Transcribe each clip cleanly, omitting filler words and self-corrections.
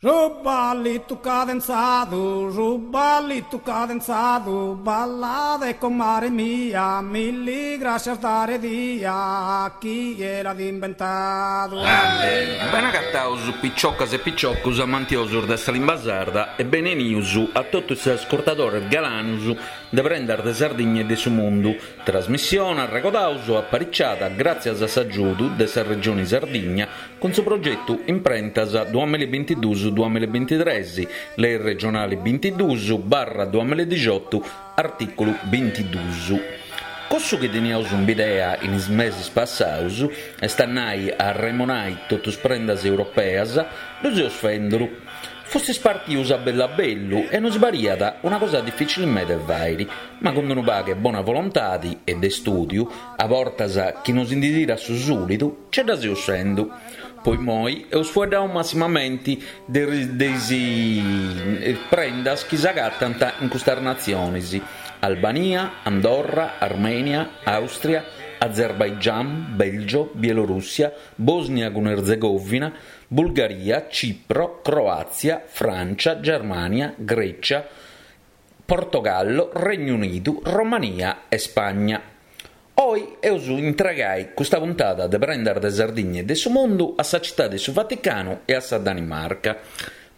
Su ballitu cadenzadu, su ballitu cadenzadu, ballade comare mia, milli grascias dare dia, chie l'at imbentadu. Benagataus piciocas e piciocus amantiosus de sa limba sarda e benenius a totu is ascurtadores galanus de Prendas de Sardigna e de su Mundu, trasmissione, arregodaus, apariciada gràtzias a s'agiudu de sa Regioni Sardigna cun su progetu Imprentas duamillabintiduus duamillabintitres, Lei regionali bintiduus barra duamilladixotu, artìculu bintiduus. Cussu chi teniaus in bidea in is mesis passaus, est a nai a arremonai totu is prendas europeas, ddu seus fenduru. Fustis partius a bellu a bellu e nosi pariat una cosa dificili meda 'e fairi, ma cun unu pagu 'e bona volontadi e de studiu, a bortas chi nosi ndi tirat su sulidu, ce dda seus fendu. Po immoi eus fueddau massimamenti de is prendas chi s'agatant in custas natzionis, Albania, Andorra, Armenia, Austria, Azerbaigian, Belgio, Bielorussia, Bosnia cun Erzegovina, Bulgaria, Cipro, Croàtzia, Frància, Germània, Grècia, Portogallo, Regnu Unidu, Romania e Spagna. Oi eus intregai custa puntada de Prendas de Sardigna e de su Mundu a sa Citadi de su Vaticanu e a sa Danimarca.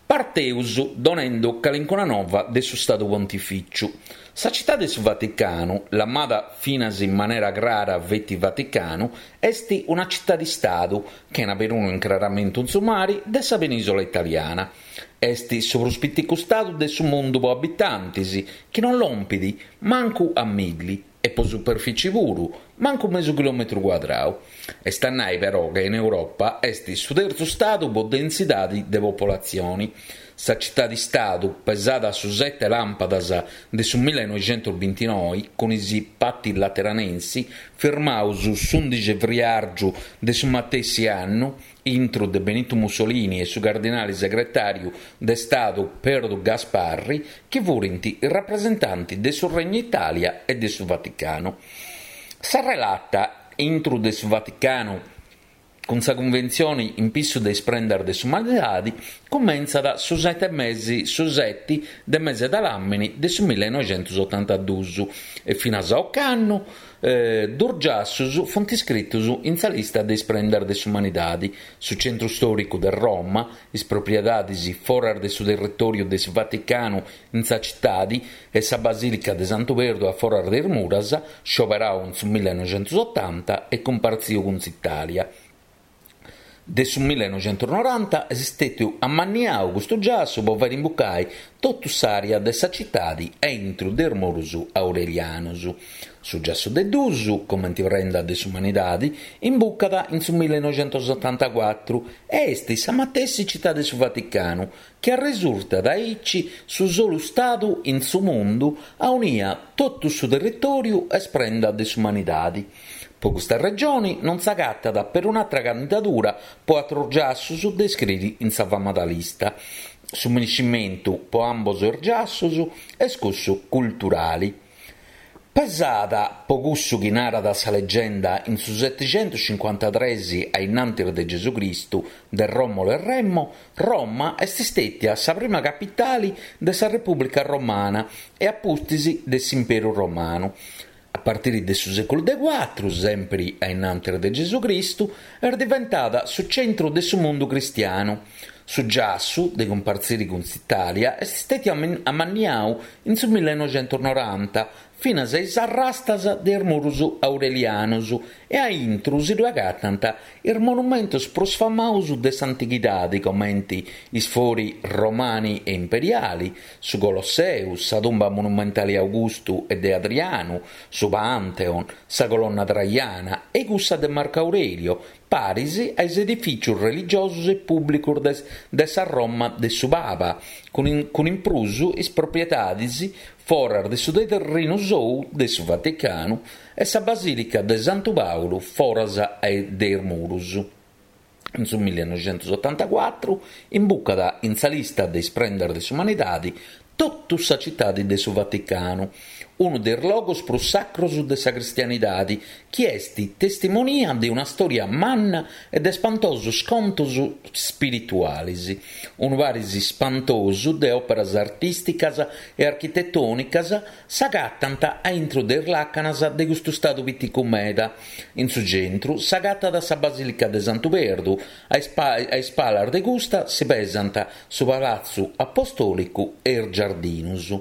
Parteus donendu calincuna nova de su Stadu Pontifìciu. Sa Citadi de su Vaticanu, lamada finas in manera crara feti Vaticanu, est una citadi-stadu, chena perunu incraramentu in su mari, de sa penìsola italiana. Est su prus piticu stadu de su mundu po abitantis, chi non lompit mancu a milli, e po superfici puru, mancu mesu chilòmetru cuadrau. Est a nai però ca in Europa est su tertzu stadu po densidadi de popolatzioni. Sa citadi-stadu, pesada su sete làmpadas de su millenoixentusbintinoi cun is Patti Lateranensi, firmaus s'undixi 'e friàrgiu de su matessi annu, intru de Benitu Mussolini e su cardinali segretàriu de Stadu Perdu Gasparri, chi furint is rapresentanti de su Regnu Itàlia e de su Vaticanu. Sa relata intru de su Vaticanu cun sa cunventzioni in pissu de is prendas de s'umanidadi cumentzat su sete mesi su seti de mese de làmini de su millenoixentusotantaduus e finas a ocannu Dus giassus funt iscritus in sa lista de is prendas de s'umanidadi, su centru stòricu de Roma, is propriedadis foras de su territòriu de su Vaticanu in sa citadi e sa Basìlica de Santu Perdu a foras de is muras, scioberau in su millenoixentusotanta e cumpartziu cun s'Itàlia. De su millenoixentusnoranta est stètiu ammanniau custu giassu po fairi imbucai totu s'àrea de sa citadi aintru de is murus aurelianus. Su giassu de dus, comenti prenda de s'umanidadi, imbucat in su millenoixentusotantacuatru e est sa matessi citadi de su Vaticanu, chi arresurtat aici su solu stadu in su mundu aunia totu su territòriu est prenda de s'umanidadi. Po custa regioni non s'agatat perun'atra candidadura po atrus giassus de iscriri in sa famada lista. Su miniscimentu po ambos is giassus est cussu culturali. Pesada po cussu chi narat sa legenda in su setixentuscincuantatres a innantis de Gesù Cristu de Romolo e Remo, Roma est stètia sa prima capitali de sa Repùblica Romana e a pustis de s'Imperu Romanu. A partiri de su sèculu de cuatru, sèmpiri a innantis de Gesù Cristu, est diventada su centru de su mundu cristianu. Su giassu, de cumpartziri cun s'Itàlia, est stètiu amanniau in su millenoixentusnoranta, finas a is arrastas de is murus aurelianus e a intru si ddue agatant is monumentus prus famaus de s'antighidadi comenti is fori romani e imperiali, su Colosseu, sa tumba monumentali Augustu e de Adrianu, su Pantheon, sa colonna Traiana e cussa de Marco Aurelio, paris a is edifìcius religiosus e pùblicus de de sa Roma de su Paba, cun cun in prus is propriedadis foras de su terrinu sou de su Vaticanu e sa Basìlica de Santu Pàulu foras de is murus. In su millenoixentusotantacuatru imbucat in sa lista de is prendas de s'umanidadi totu sa citadi de su Vaticanu. unu de is logus prus sacrus de sa cristianidadi, chi est testimonia de una storia manna e de spantosus contus spiritualis. Unu paris spantosu de òperas artìsticas e architetònicas s'agatant a intru de is làcanas de custu stadu piticu meda. In su centru s'agatat sa Basìlica de Santu Perdu, a is palas de custa si pesant su Palatzu Apostòlicu e is giardinus.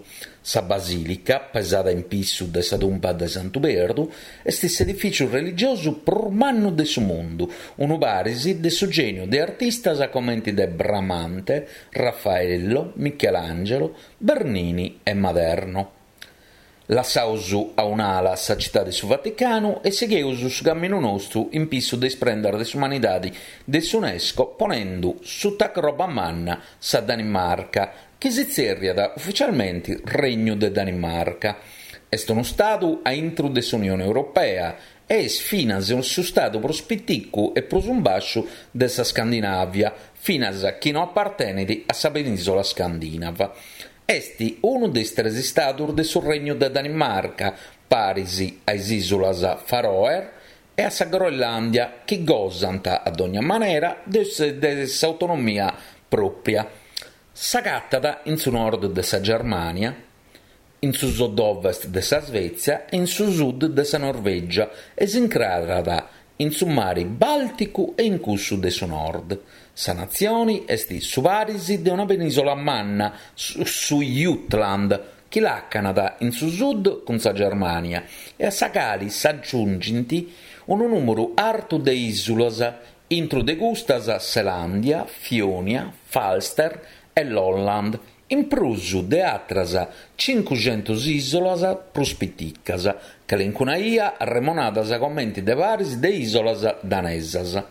Sa basìlica, pesada in pissu de sa tumba de Santu Perdu, est s'edifìciu religiosu prus mannu de su mundu, unu paris de su gèniu de artistas comenti de Bramante, Raffaello, Michelangelo, Bernini e Maderno. Lassaus a un'ala sa citadi de su Vaticanu e sigheus su caminu nostru in pissu de is prendas de s'umanidadi de s'Unesco ponendu suta croba manna sa Danimarca, chi si tzerriat ufficialmenti Regnu de Danimarca. Est unu stadu a intru de s'Unioni Europea e est finas su stadu prus piticu e prus in basciu de sa Scandinàvia, finas chi no apartenit a sa penìsola scandìnava. Est unu de is tres istadus de su Regnu de Danimarca, paris a is ìsulas Faroe e a sa Groenlàndia, chi gosant, a dogna manera, de s'autonomia pròpia. S'agatat in su nord de sa Germània, in su sud-ovest de sa Svètzia e in su sud de sa Norvègia e s'incrarat in su mari Bàlticu e in cussu de su Nord. Sa natzioni est su paris de una penìsola manna, su Jutland, chi làcanat in su sud cun sa Germània e a sa cali s'agiungint unu nùmeru artu de ìsulas, intru de custas Selàndia, Fionia, Falster e Lolland, in prus de atras cincuxentus ìsolas prus piticas, calincuna 'ia arremonadas comenti de paris de ìsolas danesas.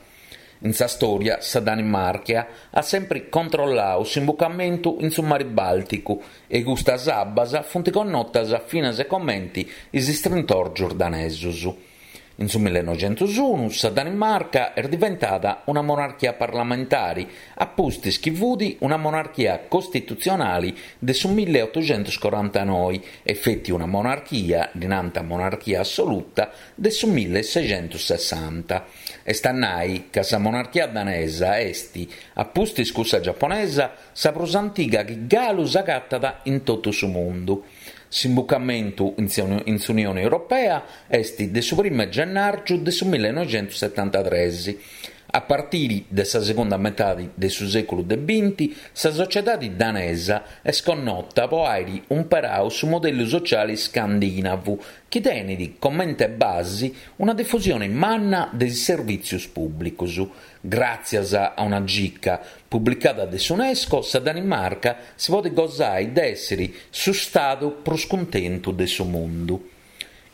In sa stòria sa Danimarca at sempri controllau s'imbucamentu in su mari Bàlticu e custas abbas funt connotas finas comenti is istrintòrgius danesus. In su millenoxentusunu sa Danimarca est diventada una monarchia parlamentari, a pustis chi fut una monarchia costitutzionali de su milleotuxentuscorantanoi e feti una monarchia, ddi nant monarchia assoluta, de su millesexentussessanta. Est a nai ca sa monarchia danesa est, a pustis cussa giaponesa, sa prus antiga chi galu s'agatat in totu su mundu. S'imbucamentu in s'Unione Europea est de su primu 'e gennàrgiu de su millenoixentussetantatres. A partiri de sa segunda metadi de su sèculu de binti, sa sociedadi danesa est connota po àiri umperau su modellu sociali scandìnavu, chi tenit comente basi una difusioni manna de is servìtzius pùblicus. Gràtzias a una gica publicada de s'Unesco, sa Danimarca si podit gosai de èssiri su stadu prus cuntentu de su mundu.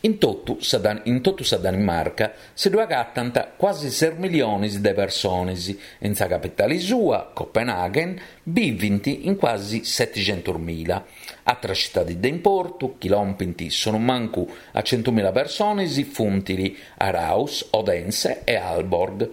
In totu sa in totu sa Danimarca si ddu agatant cuasi ses milionis de persones e in sa capitali sua, Copenaghen, bivint in cuasi setixentusmila. Atras citadis de importu, chi lompint sonumancu a centumila persones, funt Aarhus, Odense e Aalborg.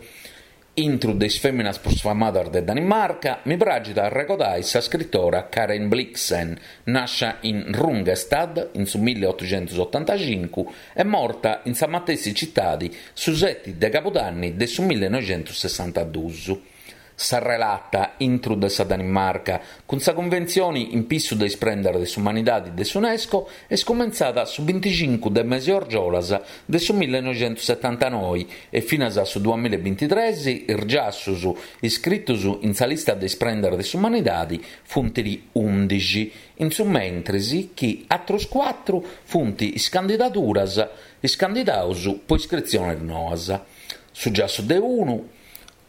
Intru de is fèminas prus famadas de Danimarca, mi praxit a arregodai sa scritora Karen Blixen, nàscia in Rungestad in su milliotuxentusotantacincu e morta in sa matessi citadi su seti de cabudanni de su millenoixentussessantadus. Sa relata intru de sa Danimarca cun sa Cunventzioni in pissu de is prendas de s'umanidadi de s'Unesco est cumentzada su binticincu de mesi orgiolas de su millenoixentusetantanoi e finas a su duamillabintitres is giassus iscritus in sa lista de is prendas de s'umanidadi funt undixi, in su mentris chi atrus cuatru funt is candidaduras is candidaus po iscritzionis noas. Su giassu de unu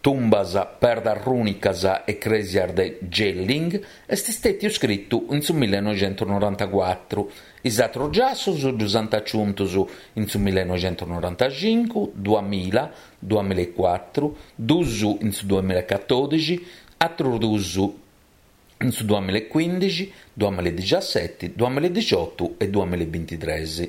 Tumbas, perdas rùnicas e crèsias de Jelling est stètiu scritu in su millenoixentusnorantacuatru. Is atrus giassus ddus ant aciuntus in su millenoixentusnorantacincu, duamilla, duamillaecuatru, dus in su duamillacatòdixi, atrus dus in su duamillaecuìndixi, duamilladixiaseti, duamilladixiotu e duamillabintitres.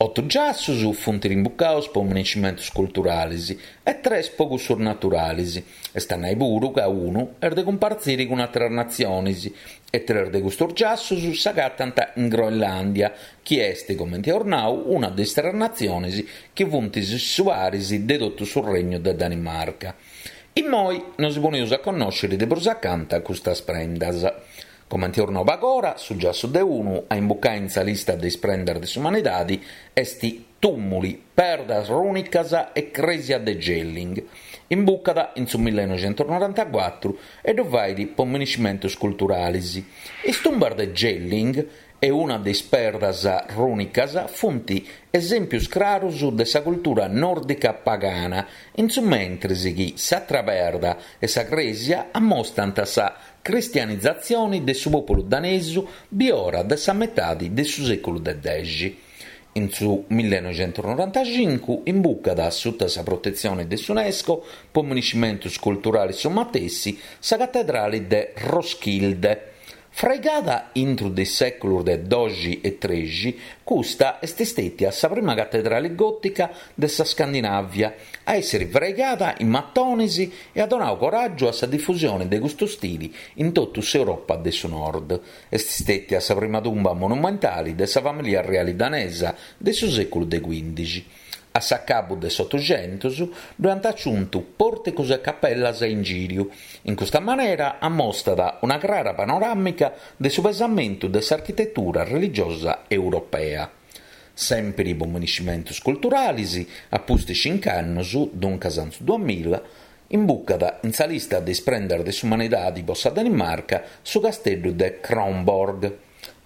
Otu giassus funt imbucaus po minescimentus culturalis e tres po cussus naturalis, est a nai puru ca unu est de cumpartziri cun àteras natzionis e tres de custus giassus s'agatant in Groenlàndia, chi est, comenti eus nau, una de is tres natzionis chi funt su paris de totu su Regnu de Danimarca. Immoi nosi poneus a connòsciri de prus acanta custas prendas. Comenti eus nau pagora, su giassu de unu a imbucai in sa lista de is prendas de s'umanidadi est Tùmuli, perdas rùnicas e crèsia de Jelling. Imbucat in su millenoixentusnorantacuatru e ddu fait po miniscimentus culturalis. Is tumbas de Jelling e una de is perdas rùnicas funt esèmpius crarus de sa cultura nòrdica pagana, in su mentris chi s'atra perda e sa crèsia ammostant sa cristianizatzioni de su pòpulu danesu biora de sa metadi de su sèculu de dexi. In su millenoixentusnorantacincu imbucat, suta sa protetzioni de s'Unesco po miniscimentus culturalis su matessi, sa catedrali de Roskilde. Fraigada intru de is sèculus de doxi e trexi, custa est stètia sa prima catedrali gòtica de sa Scandinàvia a èssiri fraigada in matonis e at donau coràgiu a sa difusioni de custu stili in totu s'Europa de su Nord. Est stètia sa prima tumba monumentali de sa famìlia reali danesa de su sèculu de cuìndixi. A s'acabu de s'Otuxentus ddu ant aciuntu pòrticus e capellas a ingìriu. In custa manera ammostat una crara panoràmica de su pesamentu de s'architetura religiosa europea. Sèmpiri po miniscimentus culturalis, a pustis cinc'annus, duncas in su duamilla, imbucat in sa lista de is prendas de s'umanidadi po sa Danimarca su casteddu de Kronborg.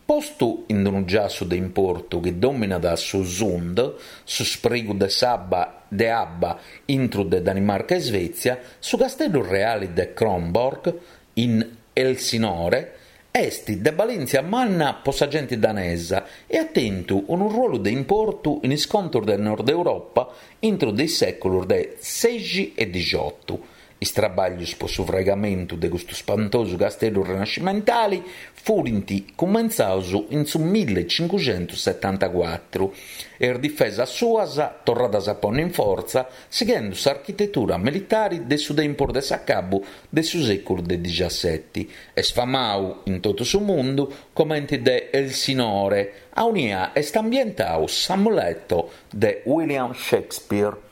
Postu in unu giassu de importu chi dòminat su Sund, su sprigu de s'abba de abba intru de Danimarca e Svètzia, su casteddu reali de Kronborg, in Elsinore, est de balèntzia manna po sa genti danesa e at tentu unu ruolu de importu in is contus de Nord Europa intru de is sèculus de sexi e dixiotu. Is trabàglius po su fraigamentu de custu spantosu casteddu renascimentali furint cumentzaus in su millecincuxentussetantacuatru e is difesas suas torradas a ponni in fortza sighendu s'architetura militari de su tempus de s'acabu de su sèculu de dixaseti. Est famau in totu su mundu comenti de Elsinore, aunia est ambientau s'Amleto de William Shakespeare.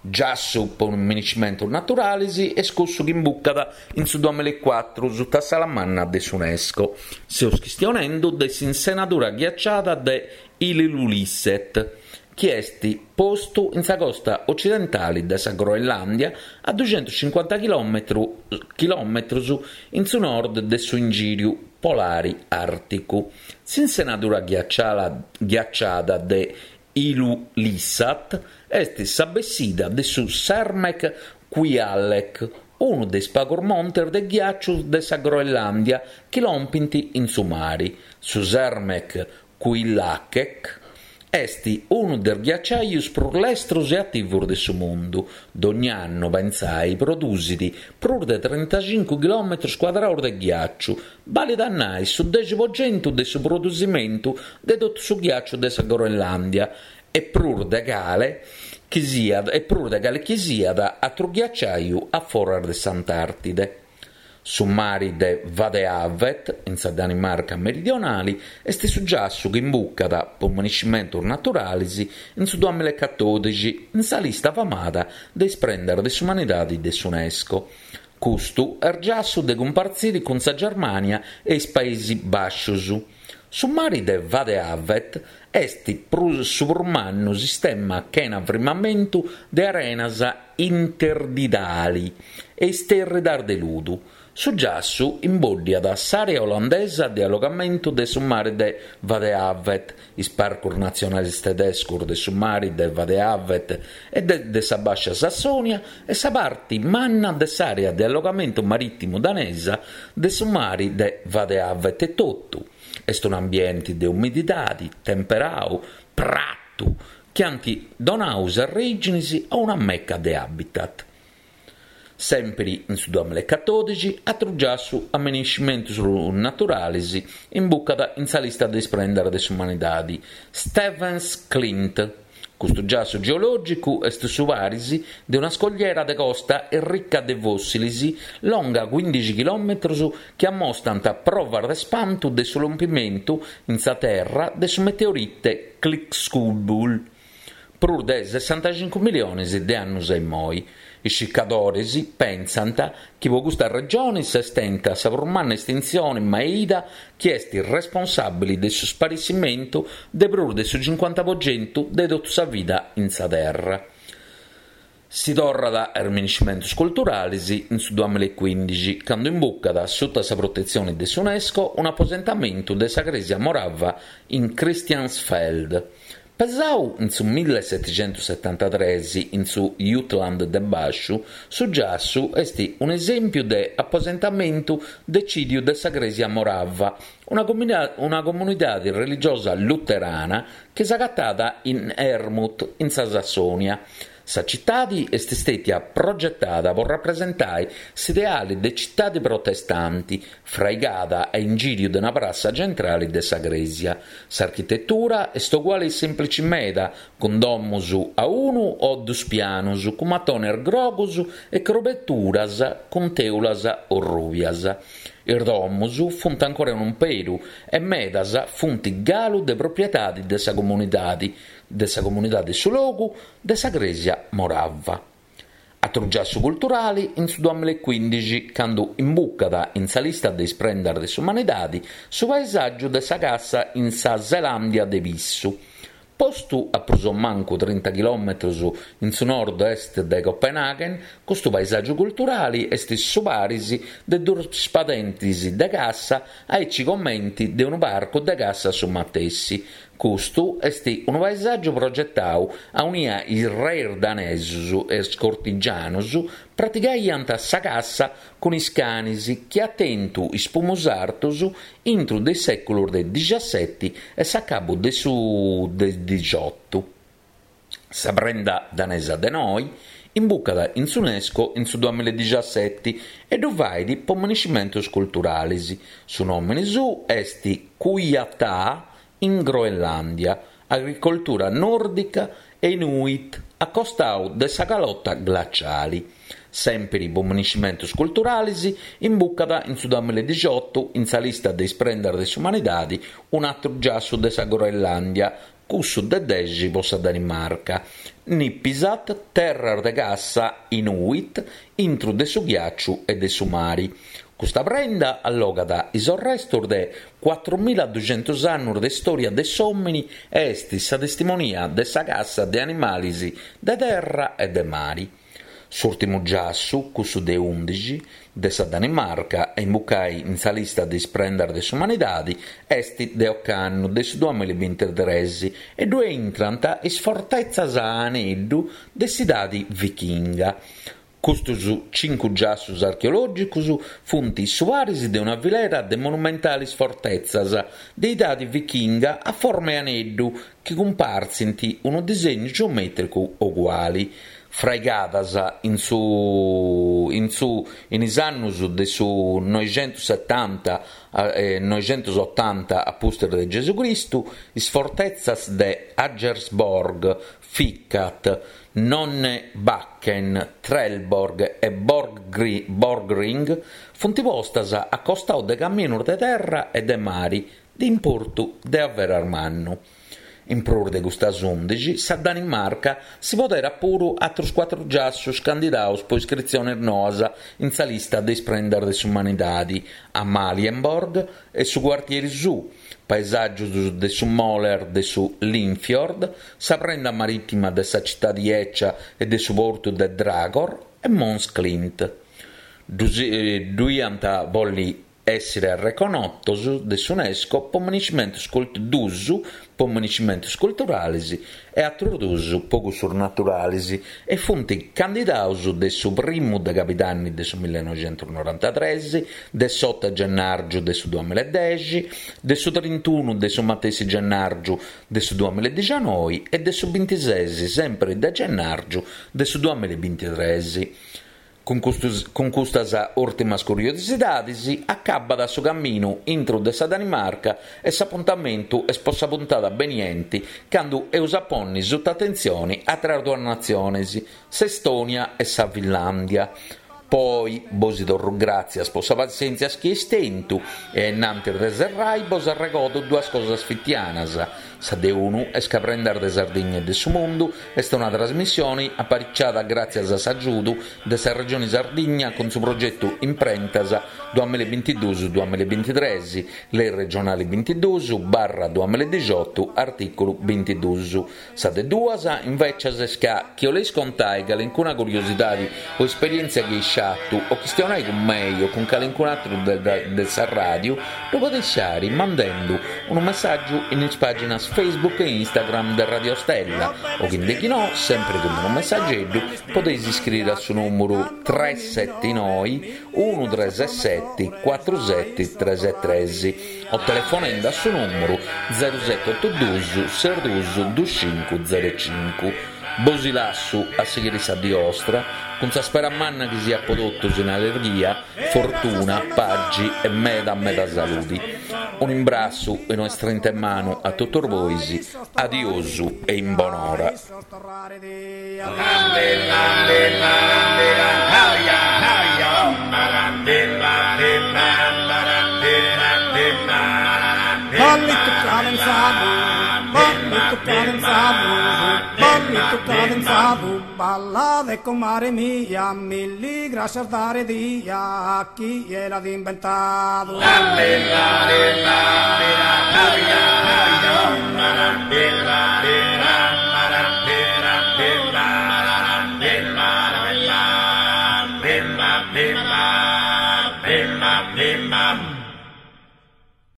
Giassu po miniscimentus naturalis est cussu chi imbucat in su duamillaecuatru suta s'ala manna de s'Unesco. Seus chistionendu de s'insenadura ghiaciada de Ilulissat, chi est postu in sa costa ocidentali de sa Groenlàndia a duxentuscincuanta chilòmetrus in su nord de su ingìriu polari àrticu. S'insenadura ghiaciada de Ilulissat est sa bessida de su Sermeq Kujalleq, unu de is pagus montes de ghiàciu de sa Groenlàndia chi lompint in su mari. Su Sermeq Kujalleq est unu de is ghiaciajus prus lestrus e ativus de su mundu. Dogni annu, pentzai, produsit prus de trintacincu chilòmetrus cuadraus de ghiàciu, Balit a nai su dexi po centu de su produsimentu de totu su ghiàciu de sa Groenlàndia e prus de cale chi siat e prus de cale chi siat atru ghiaciaju a foras de s'Antàrtide. Su mari de Vadehavet, in sa Danimarca meridionali, est su giassu chi imbucat, po miniscimentus naturalis, in su duamillaecatòdixi in sa lista famada de is prendas de s'umanidadi de s'Unesco. Custu est giassu de cumpartziri cun sa Germània e is Paesi Bàscius. Su mari de Vadehavet est su prus mannu sistema chena frimamentu de arenas interdidali e istèrridas de ludu. Su giassu imbòddiat s'àrea olandesa de allogamentu de su mari de Vadehavet, is parcus natzionalis tedescus de su mari de Vadehavet e de de sa Bàscia Sassònia e sa parti manna de s'àrea de allogamentu marìtimu danesa de su mari de Vadehavet etotu. Est un'ambienti de umididadi, temperau, pratu, chi ant donau is arrèginis a una meca de habitat. Sèmpiri in su duamillaecatòdixi, atru giassu a minescimentus naturalis imbucat in sa lista de is prendas de s'umanidadi, Stevns Klint. Custu giassu geològicu est su paris de una scogliera de costa ricca de fòssilis longa cuìndixi chilòmetrus chi ammostant provas de spantu de su lompimentu in sa Terra de su meteorite Chicxulub prus de sessantacincu milionis de annus a immoi. Is circadores pentzant chi po custa regioni s'est tenta sa prus manna estintzioni mai ida chi est responsàbili de su sparessimentu de prus de su cincuanta po centu de totu sa vida in sa Terra. Si torrat a is minescimentus culturalis in su duamillaecuindixi, candu imbucat, suta sa protetzioni de s'Unesco, un'aposentamentu de sa crèsia morava in Christiansfeld. Pesau in su millesetixentussetantatres in su Jutland de Bàsciu, su giassu est un'esèmpiu de aposentamentu decìdiu de sa Crèsia Morava, una una comunidade religiosa luterana chi s'agatat in Herrnhut, in sa Sassònia. Sa citadi est stètia progetada po rapresentai s'ideali de citadi protestanti, fraigada a ingìriu de una prassa centrali de sa crèsia. S'architetura est oguali e sèmplici meda, cun domus a unu o dus pianus, cun matones grogus e crobeturas cun tèulas orrùbias. Is domus funt ancora in umperu e medas funt galu de propriedadi de sa comunidadi, de sa comunidadi de su logu, de sa crèsia morava. Atru giassu culturali in su duamillaecuindixi, candu imbucat in sa lista de is prendas de s'umanidadi su paesàgiu de sa cassa in sa Zelàndia de Pissu. Postu a prus o mancu trinta chilòmetrus in su nord-est de Copenaghen, custu paesàgiu culturali est su paris de duus padentis de cassa aici comenti de unu parcu de cassa su matessi, Custu est unu paesàgiu progetau aunia is reis danesus e is cortigianus pratigaiant sa cassa cun is canis chi at tentu is pumus artus intru de is sèculus de dixaseti e s'acabu de su de dixiotu. Sa prenda danesa de noi imbucat in s'Unesco in su duamillaedixaseti e ddu fait po minescimentus culturalis. Su nòmini suu est Kujataa in Groenlàndia, agricoltura nòrdica e Inuit a costau de sa calota glaciali. Sèmpiri po minescimentus culturalis, imbucat in su duamillaedixiotu in sa lista de is prendas de s'umanidadi un'atru giassu de sa Groenlàndia, cussu de dexi po sa Danimarca, Nipisat, terras de cassa Inuit intru de su ghiàciu e de su mari. Custa prenda allogat is orrestus de cuatrumilladuxentus annus de stòria de s'òmini e est sa testimonia de sa cassa de animalis de terra e de mari. S'ùrtimu giassu, cussu de ùndixi, de sa Danimarca a imbucai in sa lista de is prendas de s'umanidadi est de ocannu, de su duamillabintitres, e ddue intrant is fortetzas a aneddu de s'idadi vichinga. Custus cincu giassus archeològicus funt su paris de una filera de monumentalis fortetzas de idadi vichinga a forma 'e aneddu chi cumpartzint unu disegnu geomètricu oguali, fraigadas in su in su in is annus de su noixentussetanta e noixentusotanta a pustis de Gesù Cristu, is fortetzas de Aggersborg, Fikat, Nonnebakken, Trelleborg e Borgring funt postas a costau de caminus de terra e de mari de importu de averas mannu. In prus de custas ùndixi, sa Danimarca si poderat puru atrus cuatru giassus candidaus po iscritzionis noas in sa lista de is prendas de s'umanidadi, Amalienborg e su cuartieri suu, paesàgius de su Moler de su Limfjord, sa prenda marìtima de sa citadi 'ecia e de su portu de Dragor e Møns Klint. Ddu iant a bolli Èssere arreconotos de s'Unesco po minescimentos dus po minescimentos culturales e atrus dus po cussus naturales e funt candidados de su primu de cabidanni de su millenoixentusnorantatres, de s'oto 'e gennàrgiu de su duamillaedexi, de su trintunu de su matessi gennàrgiu de su duamillaedixanoi e de su bintises sempri de gennàrgiu de su duamillabintitres. Cun custus cun custas ùrtimas curiosidadis acabbat su caminu intru de sa Danimarca e s'apuntamentu est po sa puntada benienti candu eus a ponni suta atentzioni àteras duas natzionis, s'Estònia e sa Finlàndia. Po oi bosi torru gràtzias po sa passièntzia chi eis tentu e a innantis de serrai bos arregodu duas cosas fitianas, sa de unu est ca Prendas de Sardigna e de su Mundu est una trasmissioni apariciada gràtzias a s'agiudu de sa Regioni Sardigna cun su progetu Imprentas duamilla e bintiduus duamilla e bintitres, Lei regionali bintiduus barra duamilla e dixiotu artìculu bintiduus. Sa de duas, invècias, est ca, chi 'oleis contai calincuna curiosidadi o esperièntzia chi eis fatu o chistionai cun mei o cun calincun'atru de de sa ràdiu, ddu podeis fari mandendu unu messàgiu in is pàginas Facebook e Instagram de Radio Stella o chi nde chi no, sempri cun unu messageddu, podeis iscriri a su nùmuru tres seti noi unu tres seti cuatru seti tres tres o telefonendu a su nùmuru zeru seti otu dus ses dus dus cincu zeru cincu. Bosi lassu a sighiri sa dì 'ostra cun sa spera manna chi siat po totus in allirghia, fortuna, pagi e meda meda saludi. Un'imbrassu e una strinta 'e manu a totus bois, adiosu e in bonora. Ballitu cadenzadu, ballitu cadenzadu, ballitu cadenzadu, ballade comare mia, milli grascias dare dia, a chie l'at imbentadu.